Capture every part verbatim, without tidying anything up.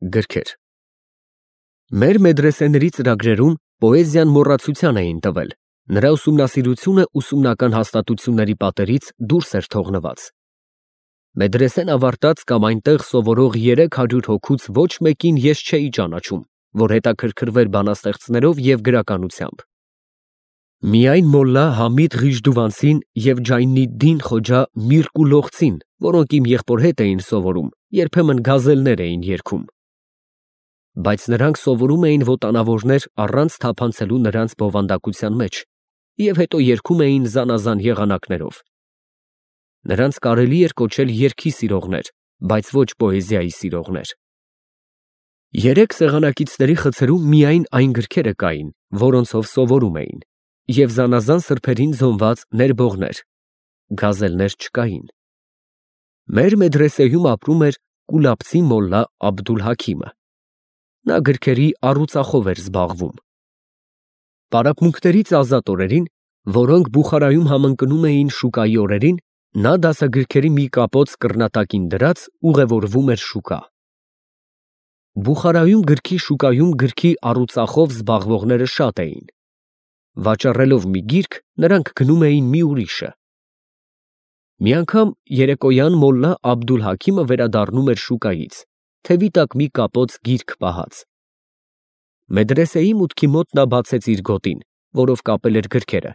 Գրքեր Մեր մեդրեսեների ծրագրերում պոեզիան մոռացության էին տվել, նրա ուսումնասիրությունը ուսումնական հաստատությունների պատերից դուրս էր թողնված։ Մեդրեսեն ավարտած կամ այնտեղ սովորող երեք հարյուր հոգուց ոչ մեկին ես չէի ճանաչում, որ հետաքրքրվեր բանաստեղծներով և գրականությամբ։ Միայն մոլլա Համիդ Ղիժդուվանցին և Ջայնիդդին Խոջա Միրկու Լոխցին, որոնք իմ եղբոր հետ էին սովորում, երբեմն գազելներ էին երգում։ Բայց նրանք սովորում էին ոտանավորներ առանց թափանցելու նրանց բովանդակության մեջ և հետո երգում էին զանազան եղանակներով։ Նրանց կարելի էր կոչել երգի սիրողներ, բայց ոչ պոեզիայի սիրողներ։ Երեք սեղանակիցների խցերում միայն այն գրքերը կային, որոնցով սովորում էին, և զանազան սրբերին զոնված ներբողներ, գազելներ չկային։ Մեր մեդրեսեում ապրում էր կուլաբցի մոլլա Աբդուլ֊Հաքիմը։ Նա գրքերի առուծախով էր զբաղվում։ Պարապմունքներից ազատ օրերին, որոնք Բուխարայում համընկնում էին շուկայի օրերին, նա դասագրքերի մի կապոց կռնատակին դրած ուղևորվում էր շուկա։ Բուխարայում գրքի շուկայում գրքի առուծախով զբաղվողները շատ էին։ Վաճառելով մի գիրք, նրանք գնում էին մի ուրիշը։ Մի անգամ երեկոյան մոլլա Աբդուլ֊Հաքիմը վերադառնում էր շուկայից, թևի տակ մի կապոց գիրք պահած։ Մեդրեսեի մուտքի մոտ նա բացեց իր գոտին, որով կապել էր գրքերը,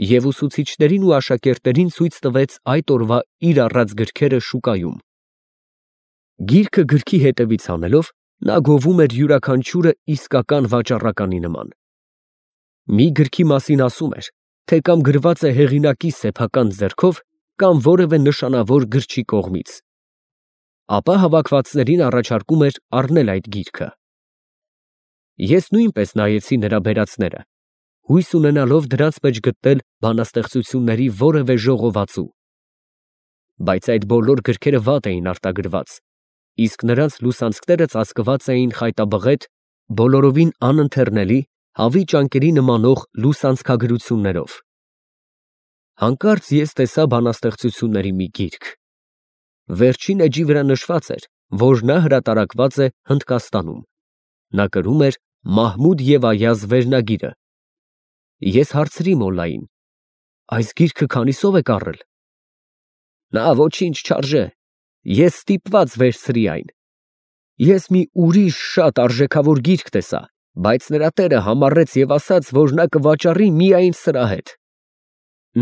և ուսուցիչներին ու աշակերտներին ցույց տվեց այդ օրվա իր առած գրքերը շուկայում։ Գիրքը գրքի հետևից հանելով, նա գովում էր յուրաքանչյուրը իսկական վաճառականի նման։ Մի գրքի մասին ասում էր, թե կամ գրված է հեղինակի սեփական ձեռքով, կամ որևէ նշանավոր գրչի կողմից։ Ապա հավաքվածներին առաջարկում էր առնել այդ գիրքը։ Ես նույնպես նայեցի նրա բերածները, հույս ունենալով դրանց մեջ գտնել բանաստեղծությունների որևէ ժողովածու։ Բայց այդ բոլոր գրքերը վատ էին արտագրված, իսկ նրանց լուսանցքները ծածկված էին խայտաբղետ, բոլորովին անընթեռնելի, հավի ճանկերի նմանող լուսանցքագրություններով։ Հանկարծ ես տեսա բանաստեղծությունների մի գիրք։ Վերջին էջի վրա նշված էր, որ նա հրատարակված է Հնդկաստանում։ Նա կրում էր Մահմուդ և Այազ վերնագիրը։ Ես հարցրի մոլլային. այս գիրքը քանիսով եք առել։ Նա ոչինչ չարժե, ես ստիպված վերցրի այն։ Ես մի ուրիշ շատ արժեքավոր գիրք տեսա, բայց նրա տերը համառեց և ասաց, որ նա կվաճառի միայն սրա հետ։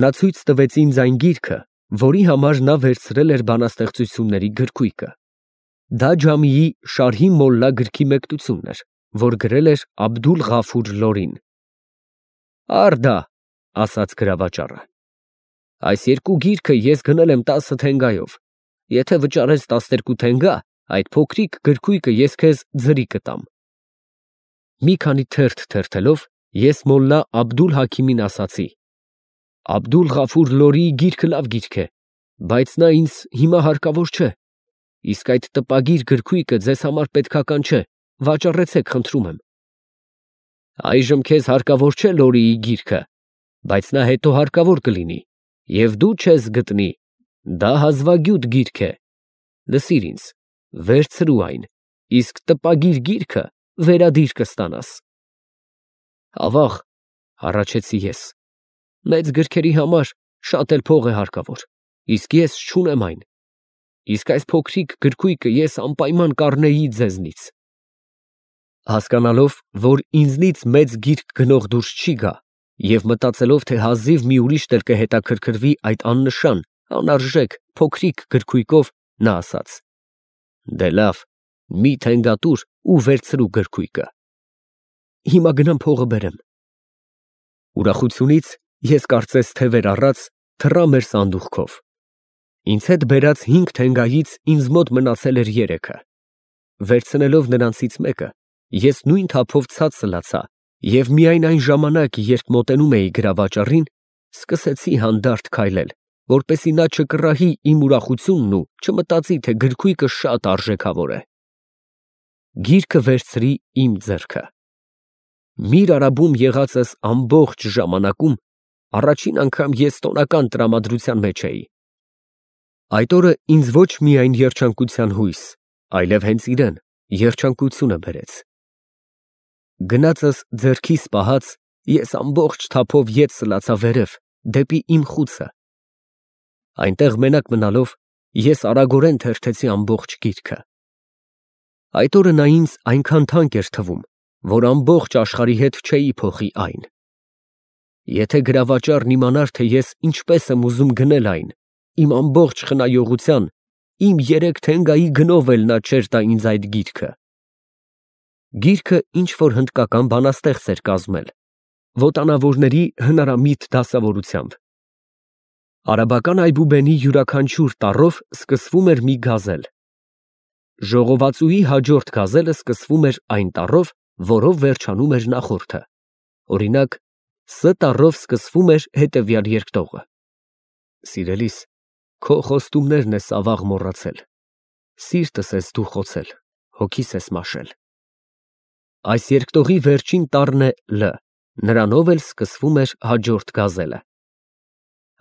Նա ցույց տվեց ինձ այն գիրքը, որի համար նա վերցրել էր բանաստեղծությունների գրքույկը։ Դա Ջամիի Շարհի Մոլլա գրքի մեկնությունն էր, որ գրել էր Աբդուլ֊Ղաֆուր Լորին։ Առ դա, ասաց գրավաճառը, այս երկու գիրքը ես գնել եմ տասը թենգայով, եթե վճարես տասներկու թենգա, այդ փոքրիկ գրքույկը ես քեզ ձրի կտամ։ Մի քանի թերթ թերթելով, ես մոլլա Աբդուլ֊Հաքիմին ասացի. Աբդուլ֊Ղաֆուր Լորիի գիրքը լավ գիրք է, բայց նա ինձ հիմա հարկավոր չէ, իսկ այդ տպագիր գրքույկը ձեզ համար պետքական չէ, վաճառեցեք, խնդրում եմ։ Այժմ քեզ հարկավոր չէ Լորիի գիրքը, բայց նա հետո հարկավոր կլինի, և դու չես գտնի, դա հազվագյուտ գիրք է, լսիր ինձ, վերցրու այն, իսկ տպագիր գիրքը վերադիր կստանաս։ Ավաղ, հառաչեցի ես, մեծ գրքերի համար շատ էլ փող է հարկավոր, իսկ ես չունեմ այն, իսկ այս փոքրիկ գրքույկը ես անպայման կառնեի ձեզնից։ Հասկանալով, որ ինձնից մեծ գիրք գնող դուրս չի գա, և մտածելով, թե հազիվ մի ուրիշ էլ կհետաքրքրվի այդ աննշան, անարժեք, փոքրիկ գրքույկով, նա ասաց. դե լավ, մի թենգա տուր ու վերցրու գրքույկը։ Հիմա գնամ փողը բերեմ։ Ուրախությունից ես կարծես թևեր առած թռա մեր սանդուղքով։ Ինձ հետ բերած հինգ թենգայից ինձ մոտ մնացել էր երեքը։ Վերցնելով նրանցից մեկը, ես նույն թափով ցած սլացա և միայն այն ժամանակ, երբ մոտենում էի գրավաճառին, սկսեցի հանդարտ քայլել, որպեսզի նա չկռահի իմ ուրախությունն ու չմտածի, թե գրքույկը շատ արժեքավոր է։ Գիրքը վերցրի իմ ձեռքը։ Միր Արաբում եղածս ամբողջ ժամանակում առաջին անգամ ես տոնական տրամադրության մեջ էի։ Այդ օրը ինձ ոչ միայն երջանկության հույս, այլև հենց իրեն, Երջանկությունը բերեց։ Գնացս ձեռքիս պահած, ես ամբողջ թափով ետ սլացա վերև, դեպի իմ խուցը։ Այնտեղ մենակ մնալով, ես արագորեն թերթեցի ամբողջ գիրքը։ Այդ օրը նա ինձ այնքան թանկ էր թվում, որ ամբողջ աշխարհի հետ չէի փոխի այն։ Եթե գրավաճառն իմանար, թե ես ինչպես եմ ուզում գնել այն, իմ ամբողջ խնայողության, իմ երեք թենգայի գնով էլ նա չէր տա ինձ այդ գիրքը։ Գիրքը ինչ֊որ հնդկական բանաստեղծ էր կազմել, ոտանավորների հնարամիտ դասավորությամբ։ Արաբական այբուբենի յուրաքանչյուր տառով սկսվում էր մի գազել։ Ժողովածուի հաջորդ գազելը սկսվում էր այն տառով, որով վերջանում էր նախորդը։ Օրինակ, Ս տառով սկսվում էր հետևյալ երկտողը. Սիրելիս, քո խոստումներն ես ավաղ մոռացել, սիրտս ես դու խոցել, հոգիս ես մաշել։ Այս երկտողի վերջին տառն է Լ, նրանով էլ սկսվում էր հաջորդ գազելը։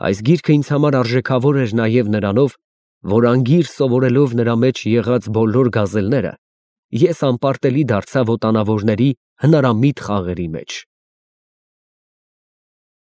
Այս գիրքը ինձ համար արժեքավոր էր նաև նրանով, որ անգիր սովորելով նրա մեջ եղած բոլոր գազելները, ես անպարտելի դարձա ոտանավորների հնարամիտ խաղերի մեջ։